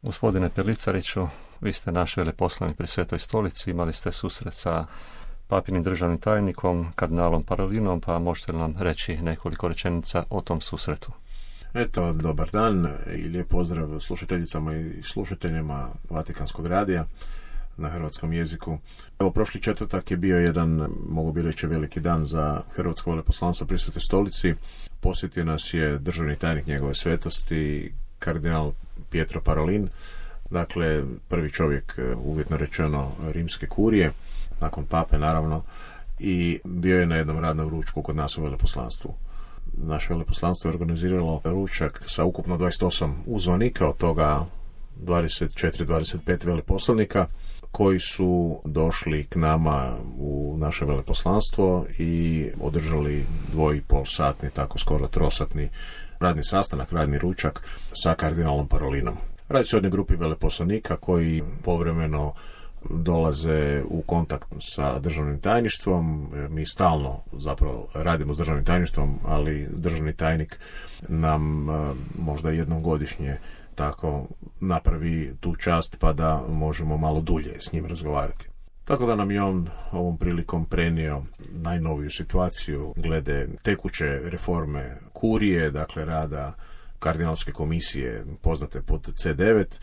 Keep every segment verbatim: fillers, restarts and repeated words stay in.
Gospodine Pelicariću, vi ste naš veleposlanik pri Svetoj stolici, imali ste susret sa papinim državnim tajnikom, kardinalom Parolinom, pa možete li nam reći nekoliko rečenica o tom susretu? Eto, dobar dan i lijep pozdrav slušateljicama i slušateljima Vatikanskog radija na hrvatskom jeziku. Evo, prošli četvrtak je bio jedan, mogu bi reći, veliki dan za hrvatsko veleposlanstvo pri Svetoj stolici. Posjetio nas je državni tajnik njegove svetosti, kardinal Pietro Parolin, dakle prvi čovjek, uvjetno rečeno, rimske kurije, nakon pape naravno, i bio je na jednom radnom ručku kod nas u veleposlanstvu. Naše veleposlanstvo je organiziralo ručak sa ukupno dvadeset osam uzvanika, od toga dvadeset četiri dvadeset pet veleposlanika koji su došli k nama u naše veleposlanstvo i održali dvoj i pol satni, tako skoro trosatni radni sastanak, radni ručak sa kardinalom Parolinom. Radi se o jednoj grupi veleposlanika koji povremeno dolaze u kontakt sa državnim tajništvom. Mi stalno zapravo radimo s državnim tajništvom, ali državni tajnik nam možda jednom godišnje tako napravi tu čast pa da možemo malo dulje s njim razgovarati. Tako da nam je on ovom prilikom prenio najnoviju situaciju glede tekuće reforme kurije, dakle rada kardinalske komisije poznate pod C devet,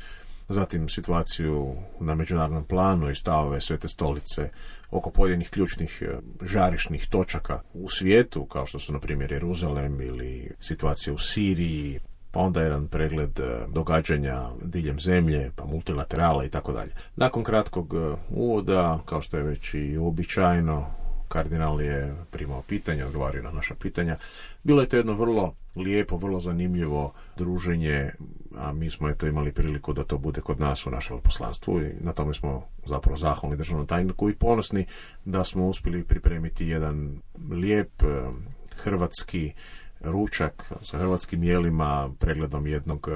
zatim situaciju na međunarodnom planu i stavove Svete stolice oko pojedinih ključnih žarišnih točaka u svijetu, kao što su na primjer Jeruzalem ili situacija u Siriji, pa onda jedan pregled događanja diljem zemlje, pa multilaterala i tako dalje. Nakon kratkog uvoda, kao što je već i uobičajeno, kardinal je primao pitanja, odgovorio na naša pitanja. Bilo je to jedno vrlo lijepo, vrlo zanimljivo druženje, a mi smo eto imali priliku da to bude kod nas u našem veleposlanstvu i na tome smo zapravo zahvalni državnom tajniku i ponosni da smo uspjeli pripremiti jedan lijep hrvatski ručak sa hrvatskim jelima, pregledom jednog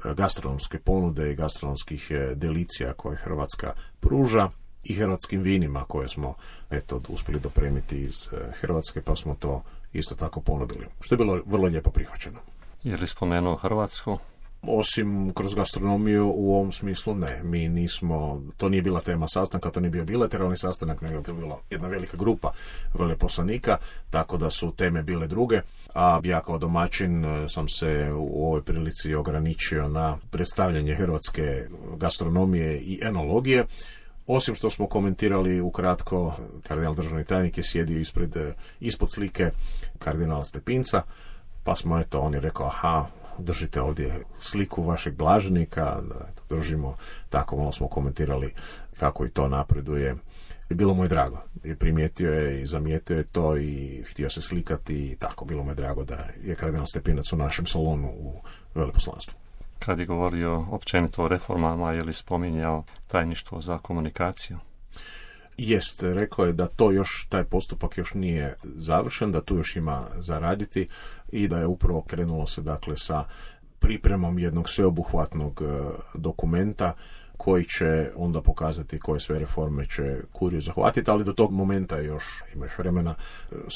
gastronomske ponude i gastronomskih delicija koje Hrvatska pruža i hrvatskim vinima koje smo eto uspjeli dopremiti iz Hrvatske, pa smo to isto tako ponudili, što je bilo vrlo lijepo prihvaćeno. Je li spomenuo Hrvatsku? Osim kroz gastronomiju u ovom smislu ne. Mi nismo, to nije bila tema sastanka, to nije bio bilateralni sastanak, nego je bila jedna velika grupa veleposlanika, tako da su teme bile druge, a ja kao domaćin sam se u ovoj prilici ograničio na predstavljanje hrvatske gastronomije i enologije. Osim što smo komentirali ukratko, kardinal državni tajnik je sjedio ispred, ispod slike kardinala Stepinca, pa smo eto, on je rekao, aha, držite ovdje sliku vašeg blaženika, eto, držimo, tako malo smo komentirali kako i to napreduje. I bilo mu je drago, i primijetio je i zamijetio je to i htio se slikati i tako, bilo mu je drago da je kardinal Stepinac u našem salonu u veleposlanstvu. Kad je govorio općenito o reformama, je li spominjao tajništvo za komunikaciju? Jest, rekao je da to još, taj postupak još nije završen, da tu još ima za raditi i da je upravo krenulo se dakle sa pripremom jednog sveobuhvatnog dokumenta koji će onda pokazati koje sve reforme će kuriju zahvatiti, ali do tog momenta još ima još vremena.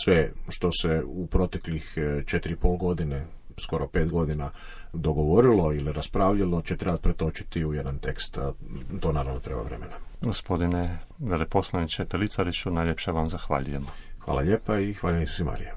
Sve što se u proteklih četiri i pol godine, skoro pet godina dogovorilo ili raspravljalo, će trebati pretočiti u jedan tekst, a to naravno treba vremena. Gospodine veleposlaniče Pelicariću, najljepše vam zahvaljujemo. Hvala lijepa i hvala Isusu Marija.